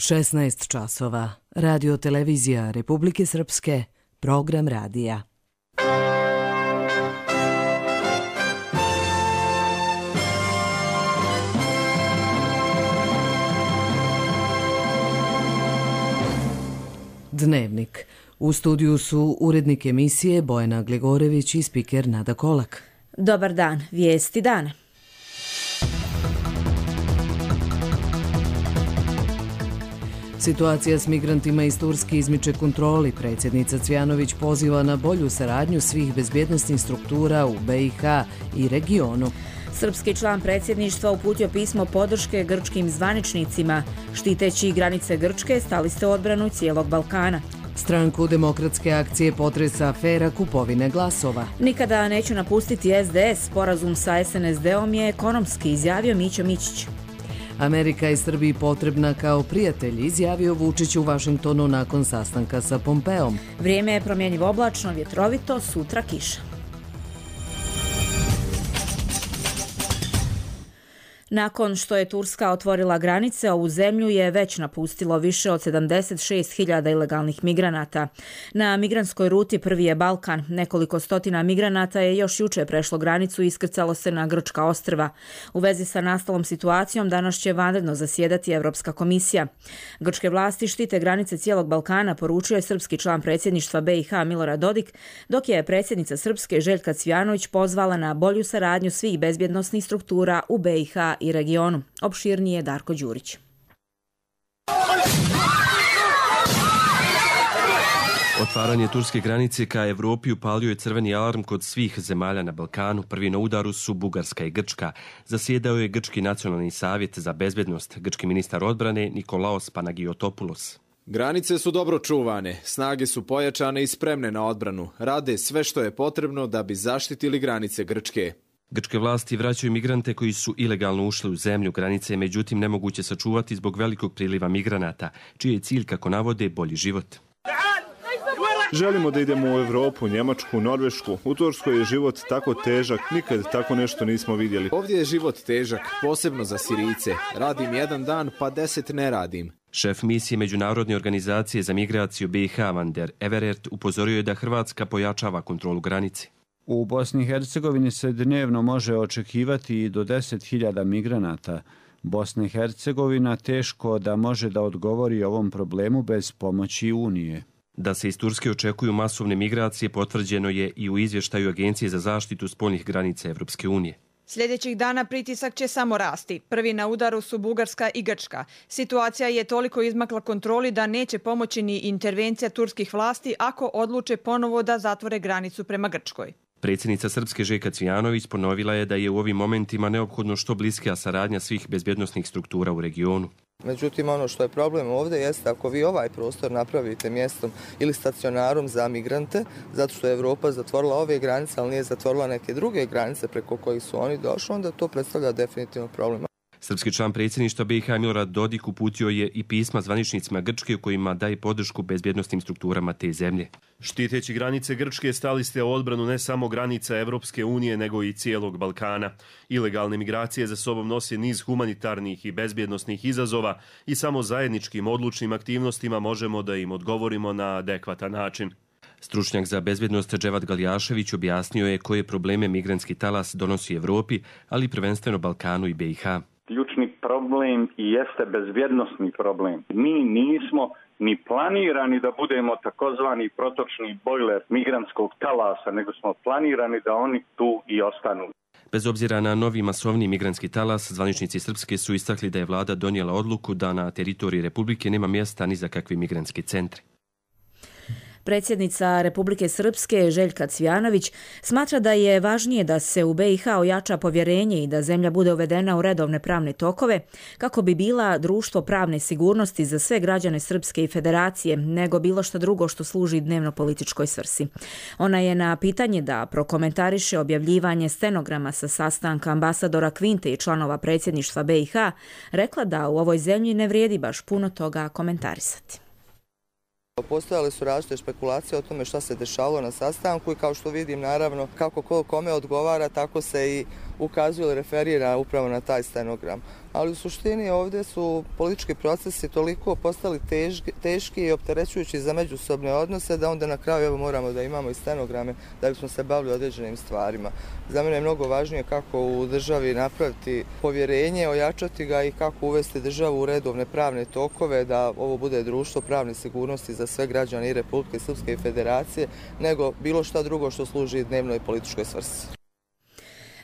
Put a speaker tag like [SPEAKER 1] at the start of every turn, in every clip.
[SPEAKER 1] 16 časova. Radio televizija Republike Srpske, program radija. Dnevnik. U studiju su urednik emisije Bojana Glegorević i spiker Nada Kolak.
[SPEAKER 2] Dobar dan, vijesti dana.
[SPEAKER 1] Situacija s migrantima iz Turske izmiče kontroli. Predsjednica Cvjanović poziva na bolju saradnju svih bezbjednosnih struktura u BiH i regionu.
[SPEAKER 2] Srpski član predsjedništva uputio pismo podrške grčkim zvaničnicima. Štiteći granice Grčke, stali ste u odbranu cijelog Balkana.
[SPEAKER 1] Stranku Demokratske akcije potresa afera kupovine glasova.
[SPEAKER 2] Nikada neću napustiti SDS, sporazum sa SNSD-om je ekonomski, izjavio Mićo Mićić.
[SPEAKER 1] Amerika je Srbiji potrebna kao prijatelj, izjavio Vučić u Vašingtonu nakon sastanka sa Pompeom.
[SPEAKER 2] Vrijeme je promjenjivo oblačno, vjetrovito, sutra kiša. Nakon što je Turska otvorila granice, ovu zemlju je već napustilo više od 76.000 ilegalnih migranata. Na migrantskoj ruti prvi je Balkan. Nekoliko stotina migranata je još jučer prešlo granicu i iskrcalo se na grčka ostrva. U vezi sa nastalom situacijom danas će vanredno zasjedati Europska komisija. Grčke vlasti štite granice cijelog Balkana, poručio je srpski član predsjedništva BiH Milorad Dodik, dok je predsjednica Srpske Željka Cvjanović pozvala na bolju saradnju svih bezbjednosnih struktura u BiH i regionu. Opširnije Darko Đurić.
[SPEAKER 3] Otvaranje turske granice ka Evropi upalio je crveni alarm kod svih zemalja na Balkanu. Prvi na udaru su Bugarska i Grčka. Zasjedao je Grčki nacionalni savjet za bezbednost, grčki ministar odbrane Nikolaos Panagiotopoulos.
[SPEAKER 4] Granice su dobro čuvane, snage su pojačane i spremne na odbranu. Rade sve što je potrebno da bi zaštitili granice Grčke.
[SPEAKER 3] Grčke vlasti vraćaju migrante koji su ilegalno ušli u zemlju. Granice je međutim nemoguće sačuvati zbog velikog priliva migranata, čiji je cilj, kako navode, bolji život.
[SPEAKER 5] Želimo da idemo u Evropu, Njemačku, Norvešku. U Turskoj je život tako težak, nikad tako nešto nismo vidjeli.
[SPEAKER 4] Ovdje je život težak, posebno za Sirijce. Radim jedan dan, pa 10 ne radim.
[SPEAKER 3] Šef misije Međunarodne organizacije za migraciju BiH Van der Everert upozorio je da Hrvatska pojačava kontrolu granice.
[SPEAKER 6] U Bosni i Hercegovini se dnevno može očekivati i do 10.000 migranata. Bosna i Hercegovina teško da može da odgovori ovom problemu bez pomoći Unije.
[SPEAKER 3] Da se iz Turske očekuju masovne migracije potvrđeno je i u izvještaju Agencije za zaštitu spoljnih granica Evropske unije.
[SPEAKER 7] Sljedećih dana pritisak će samo rasti. Prvi na udaru su Bugarska i Grčka. Situacija je toliko izmakla kontroli da neće pomoći ni intervencija turskih vlasti ako odluče ponovo da zatvore granicu prema Grčkoj.
[SPEAKER 3] Predsjednica Srpske Željka Cvjanović ponovila je da je u ovim momentima neophodno što bliskija saradnja svih bezbjednosnih struktura u regionu.
[SPEAKER 8] Međutim, ono što je problem ovdje jeste ako vi ovaj prostor napravite mjestom ili stacionarom za migrante, zato što je Evropa zatvorila ove granice, ali nije zatvorila neke druge granice preko kojih su oni došli, onda to predstavlja definitivno problem.
[SPEAKER 3] Srpski član predsjedništva BiH Milorad Dodik uputio je i pisma zvaničnicima Grčke u kojima daje podršku bezbjednosnim strukturama te zemlje.
[SPEAKER 9] Štiteći granice Grčke stali ste u odbranu ne samo granica Evropske unije, nego i cijelog Balkana. Ilegalne migracije za sobom nose niz humanitarnih i bezbjednosnih izazova i samo zajedničkim odlučnim aktivnostima možemo da im odgovorimo na adekvatan način.
[SPEAKER 3] Stručnjak za bezbjednost Dževat Galjašević objasnio je koje probleme migrantski talas donosi Evropi, ali prvenstveno Balkanu i BiH.
[SPEAKER 10] Ključni problem i jeste bezbjednosni problem. Mi nismo ni planirani da budemo takozvani protočni bojler migrantskog talasa, nego smo planirani da oni tu i ostanu.
[SPEAKER 3] Bez obzira na novi masovni migrantski talas, zvaničnici Srpske su istakli da je vlada donijela odluku da na teritoriji Republike nema mjesta ni za kakve migrantske centre.
[SPEAKER 2] Predsjednica Republike Srpske Željka Cvjanović smatra da je važnije da se u BiH ojača povjerenje i da zemlja bude uvedena u redovne pravne tokove kako bi bila društvo pravne sigurnosti za sve građane Srpske i Federacije, nego bilo što drugo što služi dnevno političkoj svrsi. Ona je na pitanje da prokomentariše objavljivanje stenograma sa sastanka ambasadora Kvinte i članova predsjedništva BiH rekla da u ovoj zemlji ne vrijedi baš puno toga komentarisati.
[SPEAKER 8] Postojale su različite špekulacije o tome šta se dešavalo na sastanku i kao što vidim naravno kako ko kome odgovara tako se i ukazuje ili referira upravo na taj stenogram. ali u suštini ovdje su politički procesi toliko postali teški i opterećujući za međusobne odnose da onda na kraju evo moramo da imamo i stenograme da bismo se bavili određenim stvarima. Za mene je mnogo važnije kako u državi napraviti povjerenje, ojačati ga i kako uvesti državu u redovne pravne tokove, da ovo bude društvo pravne sigurnosti za sve građane i Republike Srpske i Federacije, nego bilo šta drugo što služi dnevnoj političkoj svrsi.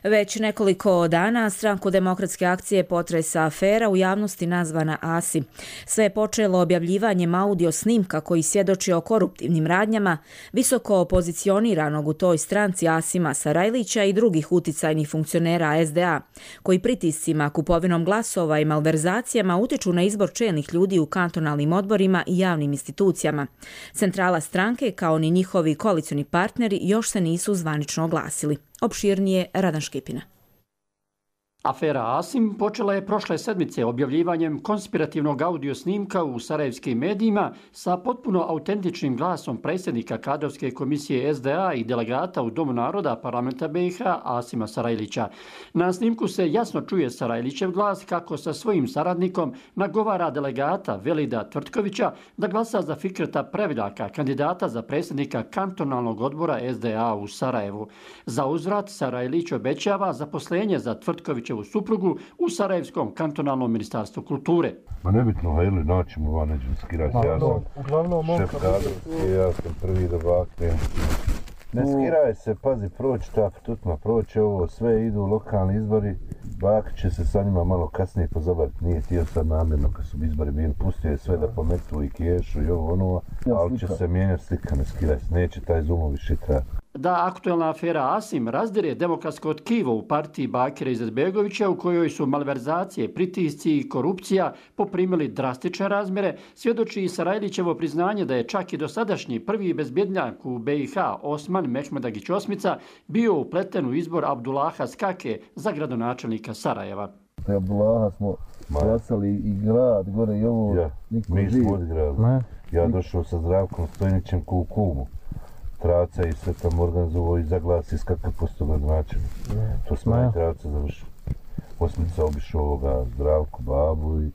[SPEAKER 2] Već nekoliko dana Stranku demokratske akcije potresa afera u javnosti nazvana ASI. Sve je počelo objavljivanjem audio snimka koji svjedoči o koruptivnim radnjama visoko pozicioniranog u toj stranci Asima Sarajlića i drugih uticajnih funkcionera SDA, koji pritiscima, kupovinom glasova i malverzacijama utiču na izbor čelnih ljudi u kantonalnim odborima i javnim institucijama. Centrala stranke, kao ni njihovi koalicioni partneri, još se nisu zvanično oglasili. Opširnije Radan Škipina.
[SPEAKER 11] Afera Asim počela je prošle sedmice objavljivanjem konspirativnog audio snimka u sarajevskim medijima sa potpuno autentičnim glasom predsjednika kadrovske komisije SDA i delegata u Domu naroda parlamenta BiH Asima Sarajlića. Na snimku se jasno čuje Sarajlićev glas kako sa svojim saradnikom nagovara delegata Velida Tvrtkovića da glasa za Fikreta Previljaka, kandidata za predsjednika kantonalnog odbora SDA u Sarajevu. Za uzvrat Sarajlić obećava zaposlenje za Tvrtkovićevu suprugu u Sarajevskom kantonalnom ministarstvu kulture.
[SPEAKER 12] Ma nebitno, ili naćemo van, nećemo skirati. Ja sam šef kadrovski, ja sam prvi da baknem. Ne skiraj se, pazi, proći ta tutma, proći ovo, sve idu lokalni izbori. Bak će se sa njima malo kasnije pozabaviti, nije htio sad namjerno kad su izbori bili, pustio je sve da pometu i kešu i ovo ono, ali će se mijenjati slika, ne skiraj se, neće taj Zoom više trajati.
[SPEAKER 11] Da aktuelna afera Asim razdire demokratsko tkivo u partiji Bakira Izetbegovića, u kojoj su malverzacije, pritisci i korupcija poprimili drastične razmjere, svjedoči i Sarajlićevo priznanje da je čak i dosadašnji prvi bezbjednjak u BiH Osman Mehmedagić Osmica bio upleten u izbor Abdullaha Skake za gradonačelnika Sarajeva.
[SPEAKER 12] Abdullaha smo glasali i grad, gore i ovo, mi smo odigrali. Ja došao sa Zdravkom Stojnićem Kukumu. Traca i sve tamo organizovao i zaglasi skakav posto gradonačelnik. To smo i Traca završili. Osmica obišao ovoga Zdravku, babu i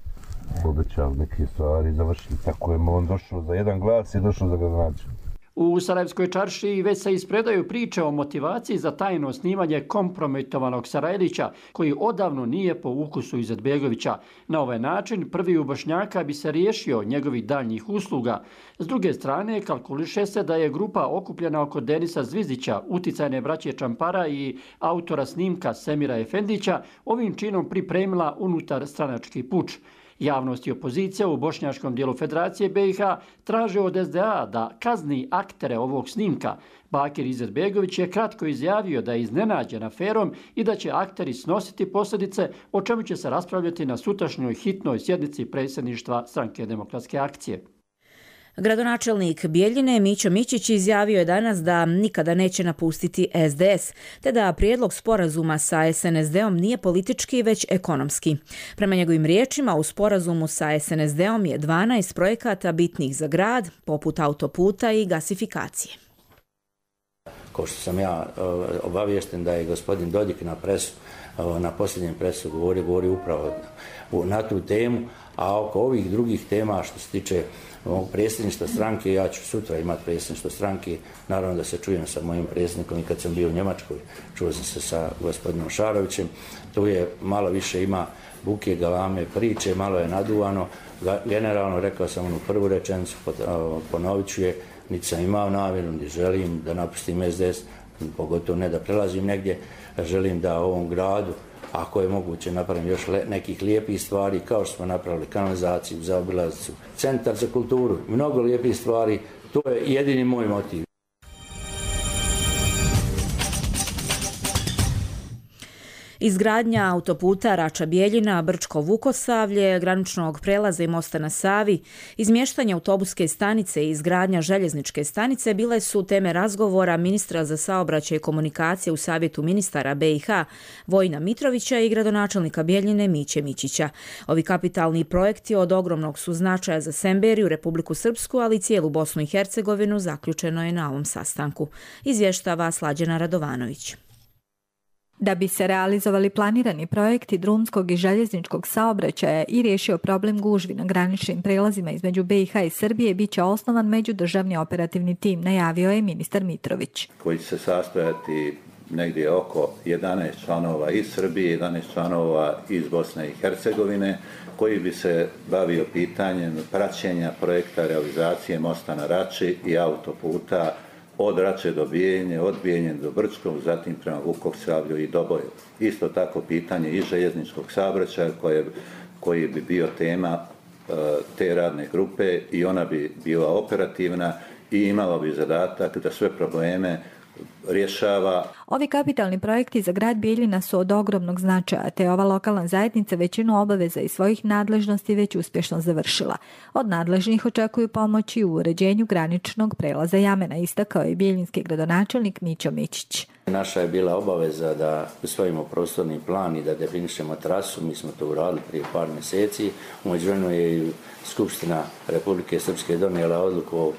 [SPEAKER 12] obećali neke stvari i završili. Tako je on došao za jedan glas i došao za gradonačelnik.
[SPEAKER 11] U Sarajevskoj čaršiji već se ispredaju priče o motivaciji za tajno snimanje kompromitovanog Sarajlića, koji odavno nije po ukusu Izetbegovića. Na ovaj način prvi u Bošnjaka bi se riješio njegovih daljnjih usluga. S druge strane, kalkuliše se da je grupa okupljena oko Denisa Zvizdića, uticajne braće Čampara i autora snimka Semira Efendića, ovim činom pripremila unutar stranački puč. Javnost i opozicija u bošnjačkom dijelu Federacije BiH traže od SDA da kazni aktere ovog snimka. Bakir Izetbegović je kratko izjavio da je iznenađen aferom i da će akteri snositi posljedice, o čemu će se raspravljati na sutrašnjoj hitnoj sjednici predsjedništva Stranke demokratske akcije.
[SPEAKER 2] Gradonačelnik Bijeljine Mićo Mićić izjavio je danas da nikada neće napustiti SDS, te da prijedlog sporazuma sa SNSD-om nije politički, već ekonomski. Prema njegovim riječima, u sporazumu sa SNSD-om je 12 projekata bitnih za grad, poput autoputa i gasifikacije.
[SPEAKER 13] Kao što sam ja obaviješten da je gospodin Dodik na posljednjem presu govori upravo na tu temu, a oko ovih drugih tema što se tiče ovog predsjedništva stranke, ja ću sutra imati predsjedništvo stranke, naravno da se čujem sa mojim predsjednikom i kad sam bio u Njemačkoj, čuo sam se sa gospodinom Šarovićem, tu je malo više ima buke, galame, priče, malo je naduvano, generalno rekao sam onu prvu rečenicu, ponovit ću je, niti sam imao namjeru, niti želim da napustim SDS, pogotovo ne da prelazim negdje, želim da ovom gradu, ako je moguće, napravim još nekih lijepih stvari, kao što smo napravili kanalizaciju, zaobilaznicu, centar za kulturu, mnogo lijepih stvari, to je jedini moj motiv.
[SPEAKER 2] Izgradnja autoputa Rača-Bijeljina, Brčko-Vukosavlje, graničnog prelaza i mosta na Savi, izmještanje autobuske stanice i izgradnja željezničke stanice bile su teme razgovora ministra za saobraćaj i komunikacije u Savjetu ministara BiH Vojina Mitrovića i gradonačelnika Bijeljine Miće Mićića. Ovi kapitalni projekti od ogromnog su značaja za Semberiju, Republiku Srpsku, ali i cijelu Bosnu i Hercegovinu, zaključeno je na ovom sastanku. Izvještava Slađana Radovanović.
[SPEAKER 14] Da bi se realizovali planirani projekti drumskog i željezničkog saobraćaja i riješio problem gužvi na graničnim prelazima između BiH i Srbije, bit će osnovan međudržavni operativni tim, najavio je ministar Mitrović.
[SPEAKER 15] Koji će se sastojati negdje oko 11 članova iz Srbije, 11 članova iz Bosne i Hercegovine, koji bi se bavio pitanjem praćenja projekta realizacije mosta na Rači i autoputa od Rače do Bijeljine, od Bijeljine do Brčkog, zatim prema Vukovsavlju i Doboju. Isto tako pitanje i željezničkog saobraćaja koji bi bio tema te radne grupe i ona bi bila operativna i imala bi zadatak da sve probleme rješava.
[SPEAKER 14] Ovi kapitalni projekti za grad Bijeljina su od ogromnog značaja, te ova lokalna zajednica većinu obaveza i svojih nadležnosti već uspješno završila. Od nadležnih očekuju pomoći u uređenju graničnog prelaza Jamena, istakao je bijeljinski gradonačelnik Mićo Mićić.
[SPEAKER 13] Naša je bila obaveza da usvojimo prostorni plan i da definišemo trasu. Mi smo to uradili prije par mjeseci. U međuvremenu je i Skupština Republike Srpske donijela odluku o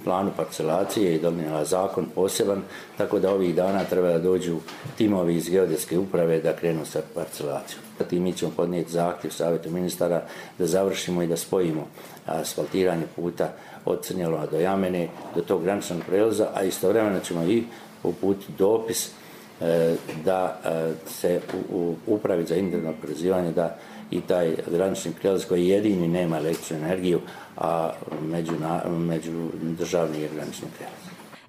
[SPEAKER 13] planu parcelacije i donijela zakon poseban, tako da ovih dana treba da dođu timovi iz geodetske uprave da krenu sa parcelacijom. Zatim mi ćemo podnijeti zahtjev Savjetu ministara da završimo i da spojimo asfaltiranje puta od Crnjelova do Jamene, do tog graničnog prelaza, a istovremeno ćemo i uputiti dopis da se upravi za individualno oporezivanje da i taj granični prijelaz koji jedini nema električnu energiju, a međudržavni je granični prijelaz.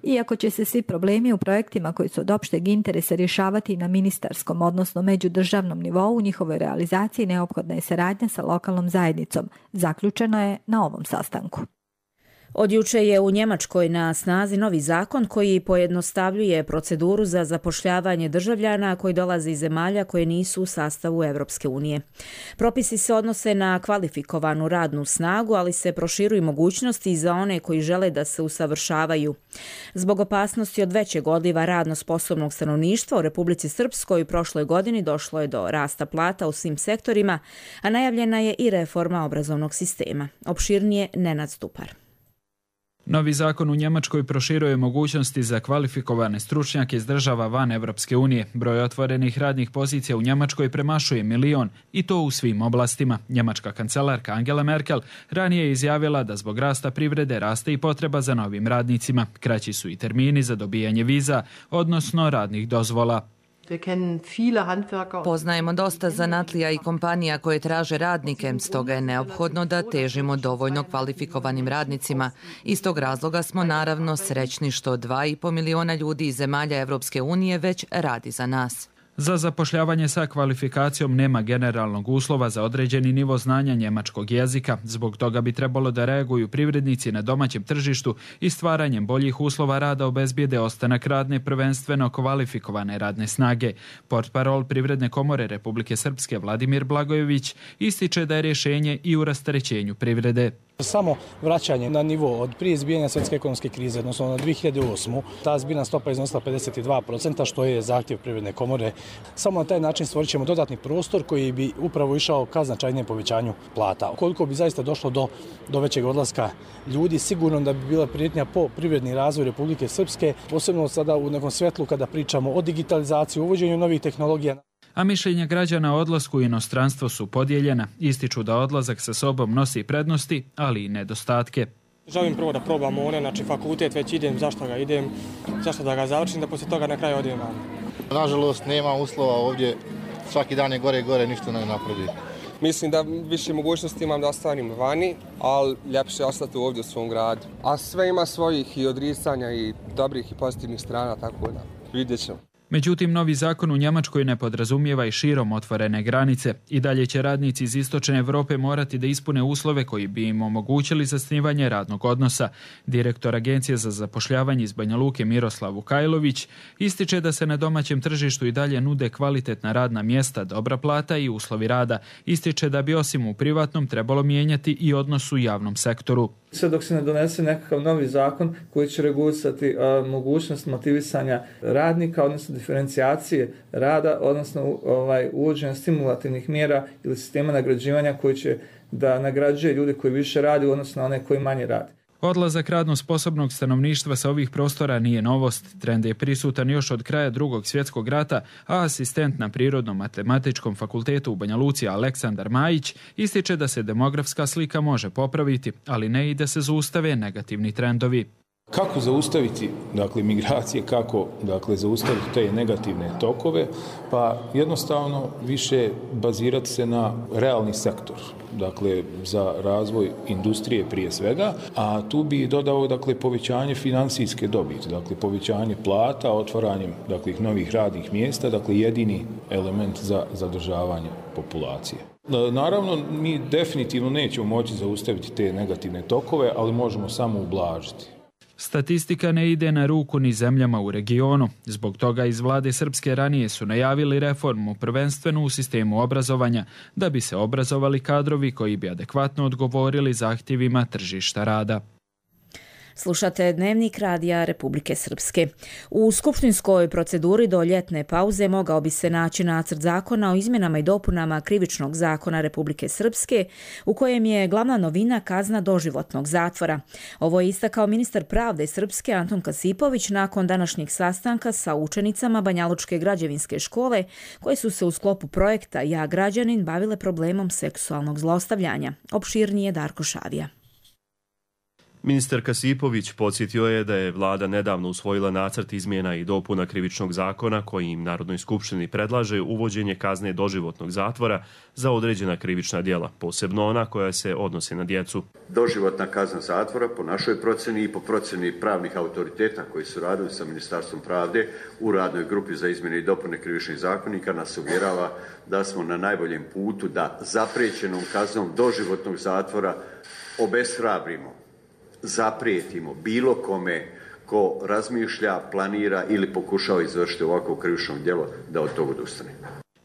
[SPEAKER 14] Iako će se svi problemi u projektima koji su od opšteg interesa rješavati na ministarskom, odnosno međudržavnom nivou, u njihovoj realizaciji neophodna je saradnja sa lokalnom zajednicom. Zaključeno je na ovom sastanku.
[SPEAKER 2] Od juče je u Njemačkoj na snazi novi zakon koji pojednostavljuje proceduru za zapošljavanje državljana koji dolaze iz zemalja koje nisu u sastavu Europske unije. Propisi se odnose na kvalifikovanu radnu snagu, ali se proširuju mogućnosti i za one koji žele da se usavršavaju. Zbog opasnosti od većeg odliva radno sposobnog stanovništva u Republici Srpskoj u prošloj godini došlo je do rasta plata u svim sektorima, a najavljena je i reforma obrazovnog sistema. Opširnije Nenad Stupar.
[SPEAKER 16] Novi zakon u Njemačkoj proširuje mogućnosti za kvalifikovane stručnjake iz država van Evropske unije. Broj otvorenih radnih pozicija u Njemačkoj premašuje 1 milion i to u svim oblastima. Njemačka kancelarka Angela Merkel ranije je izjavila da zbog rasta privrede raste i potreba za novim radnicima. Kraći su i termini za dobijanje viza, odnosno radnih dozvola.
[SPEAKER 17] Poznajemo dosta zanatlija i kompanija koje traže radnike, stoga je neophodno da težimo dovoljno kvalifikovanim radnicima. Iz tog razloga smo naravno srećni što 2,5 miliona ljudi iz zemalja Evropske unije već radi za nas.
[SPEAKER 16] Za zapošljavanje sa kvalifikacijom nema generalnog uslova za određeni nivo znanja njemačkog jezika. Zbog toga bi trebalo da reaguju privrednici na domaćem tržištu i stvaranjem boljih uslova rada obezbijede ostanak radne, prvenstveno kvalifikovane radne snage. Portparol Privredne komore Republike Srpske Vladimir Blagojević ističe da je rješenje i u rasterećenju privrede.
[SPEAKER 18] Samo vraćanje na nivo od prije izbijanja svjetske ekonomske krize, odnosno na 2008. ta zbirna stopa iznosila 52%, što je zahtjev Privredne komore. Samo na taj način stvorit ćemo dodatni prostor koji bi upravo išao ka značajnijem povećanju plata. Koliko bi zaista došlo do većeg odlaska ljudi, sigurno da bi bila prijetnja po privredni razvoj Republike Srpske, posebno sada u nekom svjetlu kada pričamo o digitalizaciji, uvođenju novih tehnologija.
[SPEAKER 16] A mišljenja građana o odlasku u inostranstvo su podijeljena. Ističu da odlazak sa sobom nosi prednosti, ali i nedostatke.
[SPEAKER 19] Želim prvo da probam znači fakultet već idem, zašto da ga završim, da poslije toga na kraju odem van.
[SPEAKER 20] Nažalost, nema uslova ovdje, svaki dan je gore i gore, ništa ne napreduje.
[SPEAKER 21] Mislim da više mogućnosti imam da ostanem vani, ali ljepše je ostati ovdje u svom gradu. A sve ima svojih i odricanja i dobrih i pozitivnih strana, tako da vidjet ćemo.
[SPEAKER 16] Međutim, novi zakon u Njemačkoj ne podrazumijeva i širom otvorene granice. I dalje će radnici iz istočne Europe morati da ispune uslove koji bi im omogućili zasnivanje radnog odnosa. Direktor Agencije za zapošljavanje iz Banja Luke Miroslav Vukajlović ističe da se na domaćem tržištu i dalje nude kvalitetna radna mjesta, dobra plata i uslovi rada. Ističe da bi osim u privatnom trebalo mijenjati i odnos u javnom sektoru.
[SPEAKER 22] Sve dok se ne donese nekakav novi zakon koji će regulisati mogućnost motivisanja radnika, odnosno diferencijacije rada, odnosno uvođenja stimulativnih mjera ili sistema nagrađivanja koji će da nagrađuje ljude koji više radi, odnosno one koji manje radi.
[SPEAKER 16] Odlazak radno sposobnog stanovništva sa ovih prostora nije novost. Trend je prisutan još od kraja Drugog svjetskog rata, a asistent na Prirodno-matematičkom fakultetu u Banja Luci Aleksandar Majić ističe da se demografska slika može popraviti, ali ne i da se zaustave negativni trendovi.
[SPEAKER 1] Kako zaustaviti migracije, kako zaustaviti te negativne tokove? Pa jednostavno više bazirati se na realni sektor, za razvoj industrije prije svega, a tu bi dodao povećanje financijske dobiti, povećanje plata, otvaranjem novih radnih mjesta, jedini element za zadržavanje populacije. Naravno, mi definitivno nećemo moći zaustaviti te negativne tokove, ali možemo samo ublažiti.
[SPEAKER 16] Statistika ne ide na ruku ni zemljama u regionu. Zbog toga iz vlade srpske ranije su najavili reformu prvenstveno u sistemu obrazovanja, da bi se obrazovali kadrovi koji bi adekvatno odgovorili zahtjevima tržišta rada.
[SPEAKER 2] Slušate Dnevnik Radija Republike Srpske. U skupštinskoj proceduri do ljetne pauze mogao bi se naći nacrt zakona o izmjenama i dopunama Krivičnog zakona Republike Srpske, u kojem je glavna novina kazna doživotnog zatvora. Ovo je istakao ministar pravde Srpske Anton Kasipović nakon današnjeg sastanka sa učenicama Banjalučke građevinske škole, koje su se u sklopu projekta Ja građanin bavile problemom seksualnog zlostavljanja. Opširnije Darko Šavija.
[SPEAKER 9] Ministar Kasipović podsjetio je da je vlada nedavno usvojila nacrt izmjena i dopuna Krivičnog zakona kojim Narodnoj skupštini predlaže uvođenje kazne doživotnog zatvora za određena krivična djela, posebno ona koja se odnosi na djecu.
[SPEAKER 5] Doživotna kazna zatvora po našoj procjeni i po procjeni pravnih autoriteta koji su radili sa Ministarstvom pravde u radnoj grupi za izmjene i dopune Krivičnih zakonika nas uvjerava da smo na najboljem putu da zapriječenom kaznom doživotnog zatvora obeshrabrimo, zaprijetimo bilo kome ko razmišlja, planira ili pokušava izvršiti ovako krivično djelo da od toga odustane.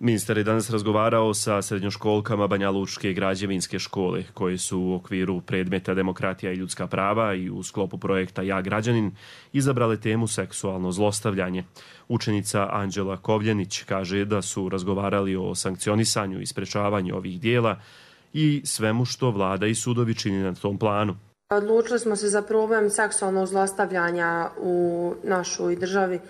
[SPEAKER 9] Ministar je danas razgovarao sa srednjoškolkama Banjalučke građevinske škole koje su u okviru predmeta Demokratija i ljudska prava i u sklopu projekta Ja građanin izabrale temu seksualno zlostavljanje. Učenica Anđela Kovljenić kaže da su razgovarali o sankcionisanju i sprečavanju ovih dijela i svemu što vlada i sudovi čini na tom planu.
[SPEAKER 23] Odlučili smo se za problem seksualnog zlostavljanja u našoj državi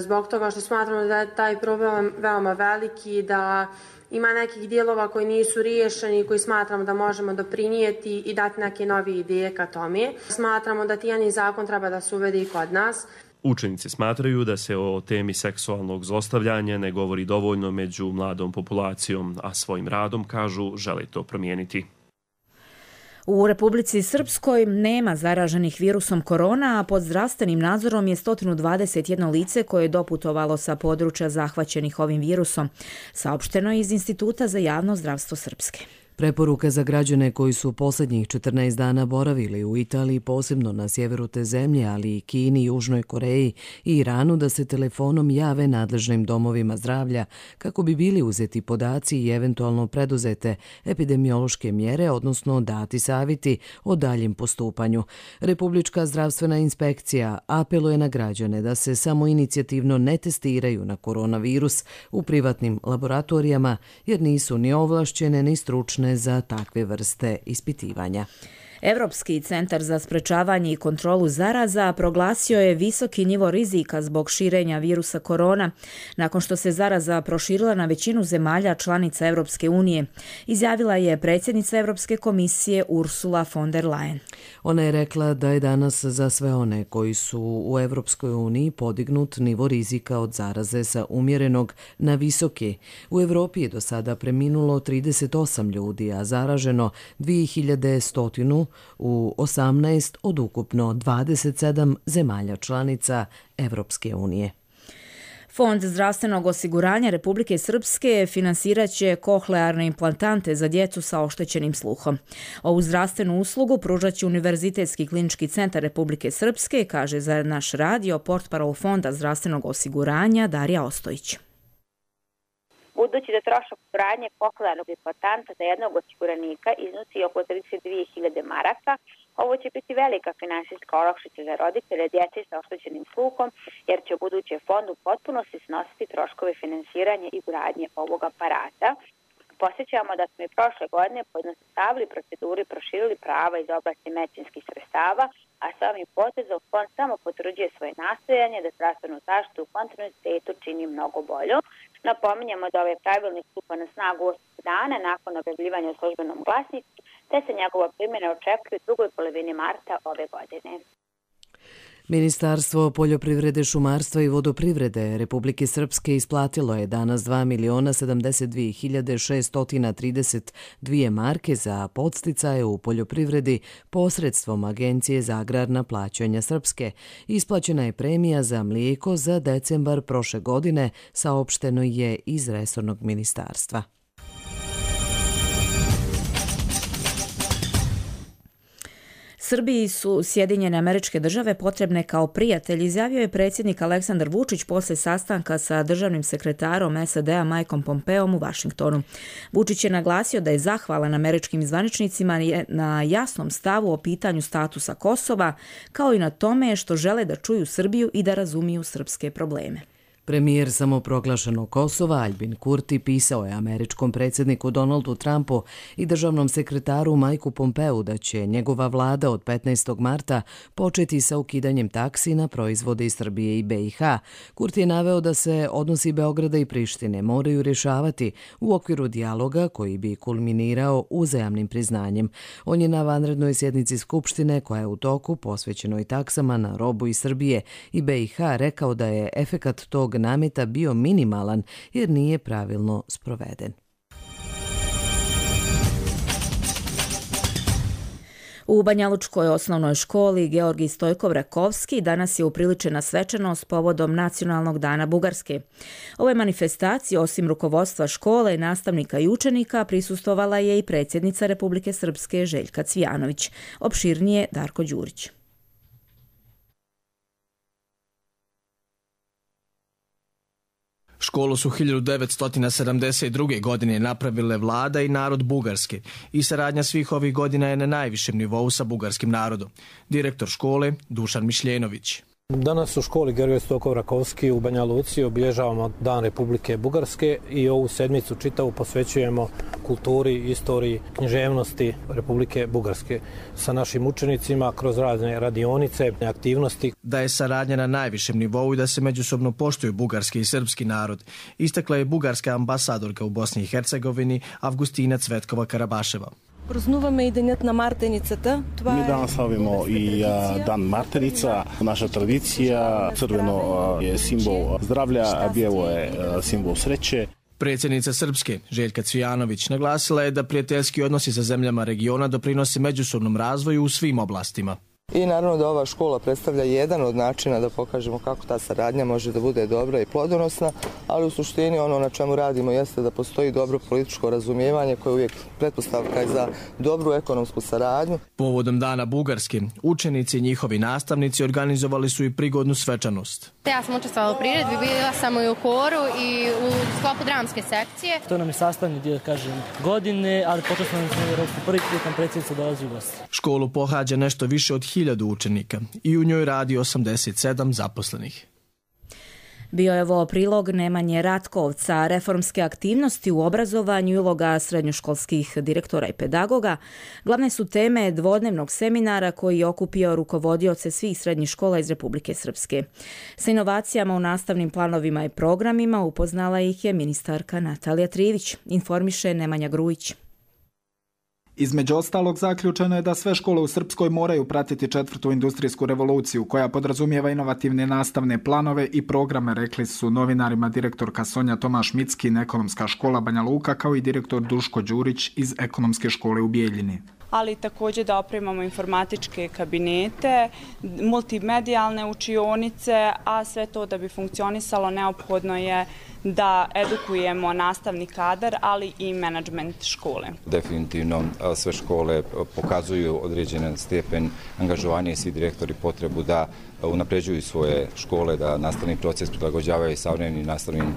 [SPEAKER 23] zbog toga što smatramo da je taj problem veoma veliki, da ima nekih dijelova koji nisu riješeni i koji smatramo da možemo doprinijeti i dati neke nove ideje ka tome. Smatramo da tijani zakon treba da se uvede i kod nas.
[SPEAKER 9] Učenici smatraju da se o temi seksualnog zlostavljanja ne govori dovoljno među mladom populacijom, a svojim radom, kažu, žele to promijeniti.
[SPEAKER 2] U Republici Srpskoj nema zaraženih virusom korona, a pod zdravstvenim nadzorom je 121 lice koje je doputovalo sa područja zahvaćenih ovim virusom, saopšteno je iz Instituta za javno zdravstvo Srpske.
[SPEAKER 24] Preporuka za građane koji su posljednjih 14 dana boravili u Italiji, posebno na sjeveru te zemlje, ali i Kini, Južnoj Koreji i Iranu, da se telefonom jave nadležnim domovima zdravlja kako bi bili uzeti podaci i eventualno preduzete epidemiološke mjere, odnosno dati savjeti o daljem postupanju. Republička zdravstvena inspekcija apeluje na građane da se samo inicijativno ne testiraju na koronavirus u privatnim laboratorijama, jer nisu ni ovlašćene ni stručne za takve vrste ispitivanja.
[SPEAKER 2] Europski centar za sprečavanje i kontrolu zaraza proglasio je visoki nivo rizika zbog širenja virusa korona, nakon što se zaraza proširila na većinu zemalja članica Europske unije, izjavila je predsjednica Europske komisije Ursula von der Leyen.
[SPEAKER 24] Ona je rekla da je danas za sve one koji su u Europskoj uniji podignut nivo rizika od zaraze sa umjerenog na visoki. U Europi je do sada preminulo 38 ljudi, a zaraženo 2100 u 18 od ukupno 27 zemalja članica Evropske unije.
[SPEAKER 2] Fond zdravstvenog osiguranja Republike Srpske finansirat će kohlearne implantante za djecu sa oštećenim sluhom. Ovu zdravstvenu uslugu pružat će Univerzitetski klinički centar Republike Srpske, kaže za naš radio portparol Fonda zdravstvenog osiguranja Darija Ostojić.
[SPEAKER 25] Budući da trošak osiguranja kohlearnog implantanta za jednog osiguranika iznosi oko 32.000 maraka, ovo će biti velika finansijska olakšica za roditelje djece sa oštećenim sluhom, jer će u buduće fond u potpunosti snositi troškove finansiranja i ugradnje ovog aparata. Posjećamo da smo i prošle godine pojednostavili proceduru i proširili prava iz oblasti medicinskih sredstava, a sa ovim potezom fond samo potvrđuje svoje nastojanje da zdravstvenu zaštitu u kontinuitetu čini mnogo bolju. Napominjemo da ovaj pravilnik stupa na snagu 8 dana nakon objavljivanja u službenom glasniku, te se njegova primjena očekuje u drugoj polovini marta ove godine.
[SPEAKER 24] Ministarstvo poljoprivrede, šumarstva i vodoprivrede Republike Srpske isplatilo je danas 2.072.632 marke za podsticaje u poljoprivredi posredstvom Agencije za agrarna plaćanja Srpske. Isplaćena je premija za mlijeko za decembar prošle godine, saopšteno je iz resornog ministarstva.
[SPEAKER 2] Srbiji su Sjedinjene Američke Države potrebne kao prijatelj, izjavio je predsjednik Aleksandar Vučić posle sastanka sa državnim sekretarom SAD-a Mikeom Pompeom u Vašingtonu. Vučić je naglasio da je zahvalan američkim zvaničnicima na jasnom stavu o pitanju statusa Kosova, kao i na tome što žele da čuju Srbiju i da razumiju srpske probleme.
[SPEAKER 24] Premijer samoproglašenog Kosova Aljbin Kurti pisao je američkom predsjedniku Donaldu Trumpu i državnom sekretaru Mikeu Pompeu da će njegova vlada od 15. marta početi sa ukidanjem taksi na proizvode iz Srbije i BiH. Kurti je naveo da se odnosi Beograda i Prištine moraju rješavati u okviru dijaloga koji bi kulminirao uzajamnim priznanjem. On je na vanrednoj sjednici Skupštine koja je u toku posvećenoj taksama na robu iz Srbije i BiH rekao da je efekat tog nameta bio minimalan jer nije pravilno sproveden.
[SPEAKER 2] U Banjalučkoj osnovnoj školi Georgij Stojkov-Rakovski danas je upriličena svečanost povodom Nacionalnog dana Bugarske. Ove manifestacije, osim rukovodstva škole, nastavnika i učenika, prisustvovala je i predsjednica Republike Srpske Željka Cvijanović. Opširnije Darko Đurić.
[SPEAKER 3] Školu su 1972. godine napravile vlada i narod Bugarske i saradnja svih ovih godina je na najvišem nivou sa bugarskim narodom. Direktor škole Dušan Mišljenović.
[SPEAKER 4] Danas u školi Georgij Stojkov-Rakovski u Banja Luci obilježavamo Dan Republike Bugarske i ovu sedmicu čitavu posvećujemo kulturi, istoriji, književnosti Republike Bugarske sa našim učenicima kroz razne radionice, aktivnosti.
[SPEAKER 3] Da je saradnja na najvišem nivou i da se međusobno poštuju bugarski i srpski narod, istakla je bugarska ambasadorka u Bosni i Hercegovini Avgustina Cvetkova Karabaševa.
[SPEAKER 6] Празнуваме и денят на мартеницата.
[SPEAKER 7] Ми danas slavimo i Dan Martenica. Naša tradicija, crveno je simbol zdravlja, a bijelo je simbol sreće.
[SPEAKER 3] Predsjednica Srpske, Željka Cvijanović, naglasila je da prijateljski odnosi sa zemljama regiona doprinose međusobnom razvoju u svim oblastima.
[SPEAKER 8] I naravno da ova škola predstavlja jedan od načina da pokažemo kako ta saradnja može da bude dobra i plodonosna, ali u suštini ono na čemu radimo jeste da postoji dobro političko razumijevanje koje je uvijek pretpostavka je za dobru ekonomsku saradnju.
[SPEAKER 3] Povodom Dana Bugarske, učenici i njihovi nastavnici organizovali su i prigodnu svečanost.
[SPEAKER 10] Ja sam učestvovala u priredbi, bila sam i u koru i u sklopu dramske sekcije.
[SPEAKER 6] To nam je sastavni dio, godine, ali počasno nam se prvi put nam predsjednica dolazi u gosti.
[SPEAKER 3] Školu pohađa nešto više od 1000 učenika i u njoj radi 87 zaposlenih.
[SPEAKER 2] Bio je ovo prilog Nemanje Ratkovca. Reformske aktivnosti u obrazovanju i uloga srednjoškolskih direktora i pedagoga glavne su teme dvodnevnog seminara koji je okupio rukovodioce svih srednjih škola iz Republike Srpske. Sa inovacijama u nastavnim planovima i programima upoznala ih je ministarka Natalija Trivić, informiše Nemanja Grujić.
[SPEAKER 26] Između ostalog, zaključeno je da sve škole u Srpskoj moraju pratiti 4. industrijsku revoluciju, koja podrazumijeva inovativne nastavne planove i programe, rekli su novinarima direktorka Sonja Tomaš-Mickin, Ekonomska škola Banja Luka, kao i direktor Duško Đurić iz Ekonomske škole u Bijeljini.
[SPEAKER 27] Ali također da opremamo informatičke kabinete, multimedijalne učionice, a sve to da bi funkcionisalo neophodno je da edukujemo nastavni kadar, ali i menadžment škole.
[SPEAKER 28] Definitivno sve škole pokazuju određen stepen angažovanja i svi direktori potrebu da unapređuju svoje škole, da nastavni proces prilagođavaju savremenim nastavnim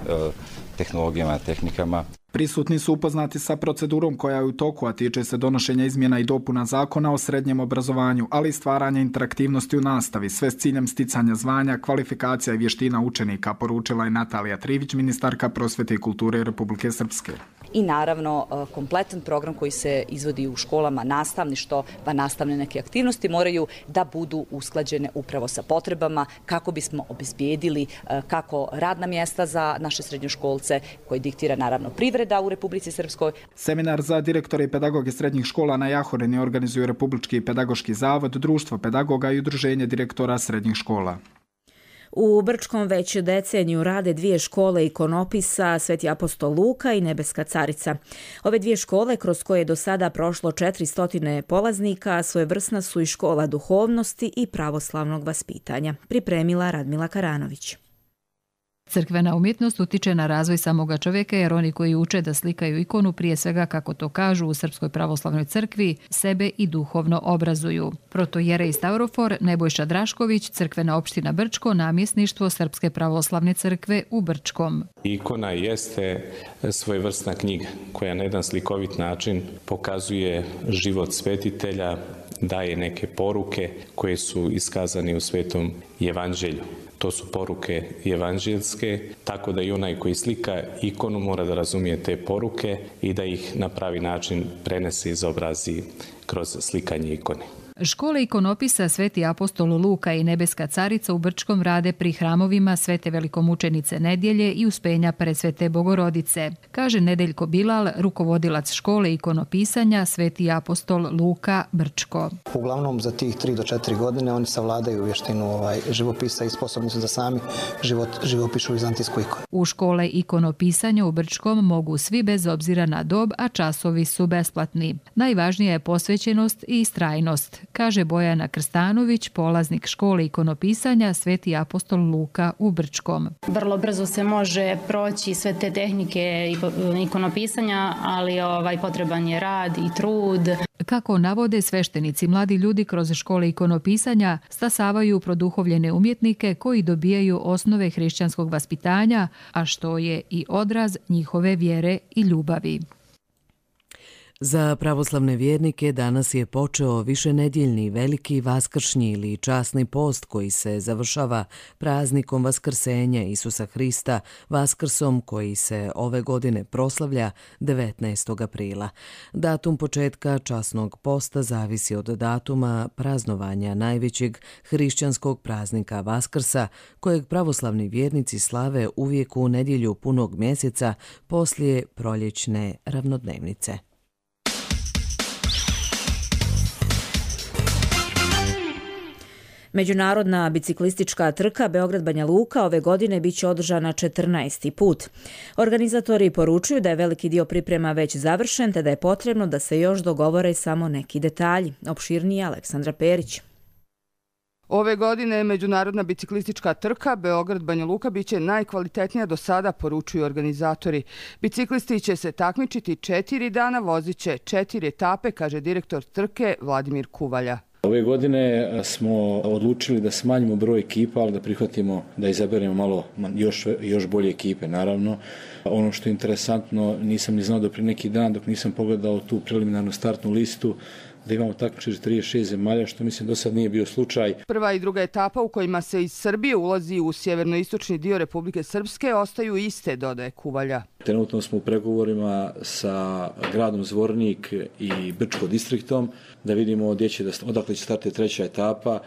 [SPEAKER 28] tehnologijama, tehnikama.
[SPEAKER 26] Prisutni su upoznati sa procedurom koja je u toku, a tiče se donošenja izmjena i dopuna zakona o srednjem obrazovanju, ali i stvaranja interaktivnosti u nastavi, sve s ciljem sticanja zvanja, kvalifikacija i vještina učenika, poručila je Natalija Trivić, ministarka prosvete i kulture Republike Srpske.
[SPEAKER 11] i naravno kompletan program koji se izvodi u školama, nastavništvo, pa nastavne neke aktivnosti moraju da budu usklađene upravo sa potrebama kako bismo obezbijedili kako radna mjesta za naše srednjoškolce koji diktira naravno privreda u Republici Srpskoj.
[SPEAKER 26] Seminar za direktore i pedagoge srednjih škola na Jahorini organizuju Republički pedagoški zavod, Društvo pedagoga i Udruženje direktora srednjih škola.
[SPEAKER 2] U Brčkom već deceniju rade 2 škole ikonopisa, Sveti apostol Luka i Nebeska carica. Ove 2 škole, kroz koje je do sada prošlo 400 polaznika, svojevrsna su i škola duhovnosti i pravoslavnog vaspitanja. Pripremila Radmila Karanović.
[SPEAKER 12] Crkvena umjetnost utiče na razvoj samoga čovjeka jer oni koji uče da slikaju ikonu prije svega, kako to kažu u Srpskoj pravoslavnoj crkvi, sebe i duhovno obrazuju. Protojerej Stavrofor Nebojša Drašković, crkvena opština Brčko, namjesništvo Srpske pravoslavne crkve u Brčkom.
[SPEAKER 13] Ikona jeste svojevrsna knjiga koja na jedan slikovit način pokazuje život svetitelja, daje neke poruke koje su iskazane u Svetom evanđelju. To su poruke evanđelske, tako da i onaj koji slika ikonu mora da razumije te poruke i da ih na pravi način prenese i izobrazi kroz slikanje ikone.
[SPEAKER 12] Škole ikonopisa Sveti apostol Luka i Nebeska carica u Brčkom rade pri hramovima Svete velikomučenice Nedjelje i Uspenja Presvete Bogorodice, kaže Nedeljko Bilal, rukovodilac škole ikonopisanja Sveti apostol Luka Brčko.
[SPEAKER 14] Uglavnom za tih 3 do 4 godine oni savladaju vještinu živopisa i sposobni su da sami živopišu vizantijsku ikonu.
[SPEAKER 12] U škole ikonopisanja u Brčkom mogu svi bez obzira na dob, a časovi su besplatni. Najvažnija je posvećenost i istrajnost, kaže Bojana Krstanović, polaznik škole ikonopisanja Sveti apostol Luka u Brčkom.
[SPEAKER 15] Vrlo brzo se može proći sve te tehnike ikonopisanja, ali potreban je rad i trud.
[SPEAKER 12] Kako navode sveštenici, mladi ljudi kroz škole ikonopisanja stasavaju produhovljene umjetnike koji dobijaju osnove hrišćanskog vaspitanja, a što je i odraz njihove vjere i ljubavi.
[SPEAKER 24] Za pravoslavne vjernike danas je počeo višenedjeljni veliki vaskršnji ili časni post koji se završava praznikom Vaskrsenja Isusa Hrista, Vaskrsom koji se ove godine proslavlja 19. aprila. Datum početka časnog posta zavisi od datuma praznovanja najvećeg hrišćanskog praznika Vaskrsa, kojeg pravoslavni vjernici slave uvijek u nedjelju punog mjeseca poslije proljećne ravnodnevnice.
[SPEAKER 2] Međunarodna biciklistička trka Beograd-Banja Luka ove godine biće održana 14. put. Organizatori poručuju da je veliki dio priprema već završen, te da je potrebno da se još dogovore samo neki detalji. Opširnije Aleksandra Perić.
[SPEAKER 17] Ove godine međunarodna biciklistička trka Beograd-Banja Luka biće najkvalitetnija do sada, poručuju organizatori. Biciklisti će se takmičiti 4 dana, voziće 4 etape, kaže direktor trke Vladimir Kuvalja.
[SPEAKER 18] Ove godine smo odlučili da smanjimo broj ekipa, ali da prihvatimo da izaberemo malo još bolje ekipe, naravno. Ono što je interesantno, nisam ni znao do prije neki dan, dok nisam pogledao tu preliminarnu startnu listu, da imamo takmičenje 36 zemalja, što mislim do sad nije bio slučaj.
[SPEAKER 17] Prva i druga etapa u kojima se iz Srbije ulazi u sjevernoistočni dio Republike Srpske ostaju iste, dodaje Kuvalja.
[SPEAKER 18] Trenutno smo u pregovorima sa gradom Zvornik i Brčko distriktom da vidimo odakle će startiti treća etapa.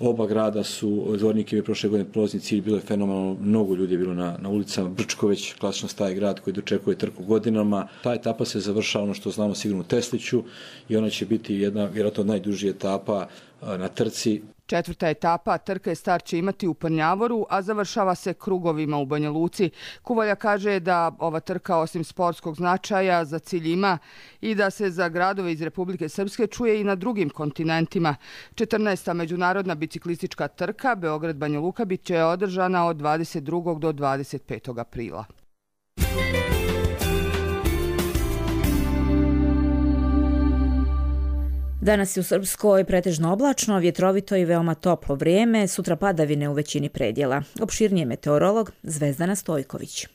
[SPEAKER 18] Oba grada su, Zvornik je prošle godine prolazni cilj, bilo je fenomenalno, mnogo ljudi je bilo na ulicama. Brčko već klasično staje grad koji dočekuje trku godinama. Ta etapa se završava, ono što znamo, sigurno u Tesliću i ona će biti jedna vjerojatno najdužija etapa na trci.
[SPEAKER 17] Četvrta etapa trke start će imati u Prnjavoru, a završava se krugovima u Banja Luci. Kuvalja kaže da ova trka osim sportskog značaja za cilj ima i da se za gradove iz Republike Srpske čuje i na drugim kontinentima. 14. međunarodna biciklistička trka Beograd-Banja Luka bit će održana od 22. do 25. aprila.
[SPEAKER 2] Danas je u Srpskoj pretežno oblačno, vjetrovito i veoma toplo vrijeme, sutra padavine u većini predjela. Opširnije meteorolog Zvezdana Stojković.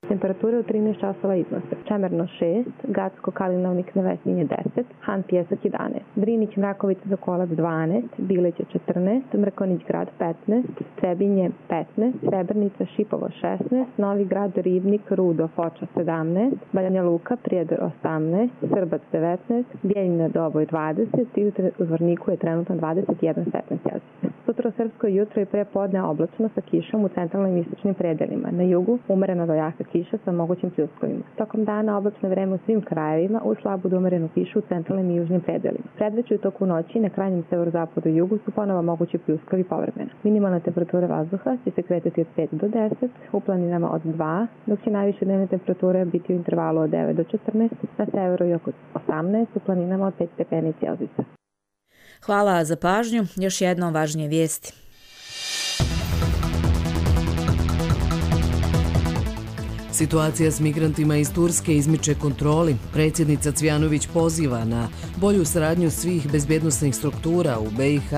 [SPEAKER 1] Temperature u 13 časova iznose Čemerno 6, Gacko, Kalinovnik, Nevesinje 10, Han Pjesak 11, Drinić, Mrakovica, Sokolac 12, Bileće 14, Mrkonić grad 15, Trebinje 15, Srebrnica, Šipovo 16, Novi grad, Ribnik, Rudo, Foča 17, Banja Luka, Prijedor 18, Srbac 19, Bijeljina, Doboj 20 i u Zvorniku je trenutno 21 stepen Celzijus. Sutra u srpsko jutro i pre podne oblačno sa kišom u centralnim i istočnim predelima. Na jugu umerena do jaka kiša sa mogućim pljuskovima. Tokom dana oblačno vreme u svim krajevima uz slabu do umerenu kišu u centralnim i južnim predelima. Predveću i toku noći na krajnjem severozapadu i jugu su ponovo mogući pljuskovi povremeno. Minimalna temperatura vazduha će se kretati od 5 do 10, u planinama od 2, dok će najviše dnevne temperature biti u intervalu od 9 do 14, na severu i oko 18, u planinama od 5 stepeni Celzijusa.
[SPEAKER 2] Hvala za pažnju. Još jednom važnije vijesti.
[SPEAKER 24] Situacija s migrantima iz Turske izmiče kontroli. Predsjednica Cvjanović poziva na bolju saradnju svih bezbjednosnih struktura u BiH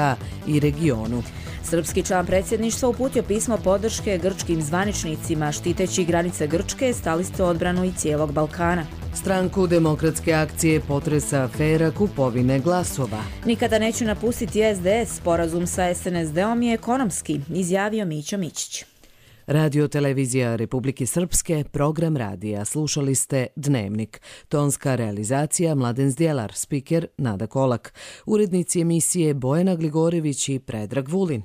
[SPEAKER 24] i regionu.
[SPEAKER 2] Srpski član predsjedništva uputio pismo podrške grčkim zvaničnicima, štiteći granice Grčke, stali ste odbranu i cijelog Balkana.
[SPEAKER 24] Stranku Demokratske akcije potresa afera kupovine glasova.
[SPEAKER 2] Nikada neću napustiti SDS, sporazum sa SNSD-om je ekonomski, izjavio Mićo Mićić.
[SPEAKER 24] Radio televizija Republike Srpske, program radija. Slušali ste Dnevnik. Tonska realizacija Mladen Zdjelar, spiker Nada Kolak. Urednici emisije Bojana Gligorević i Predrag Vulin.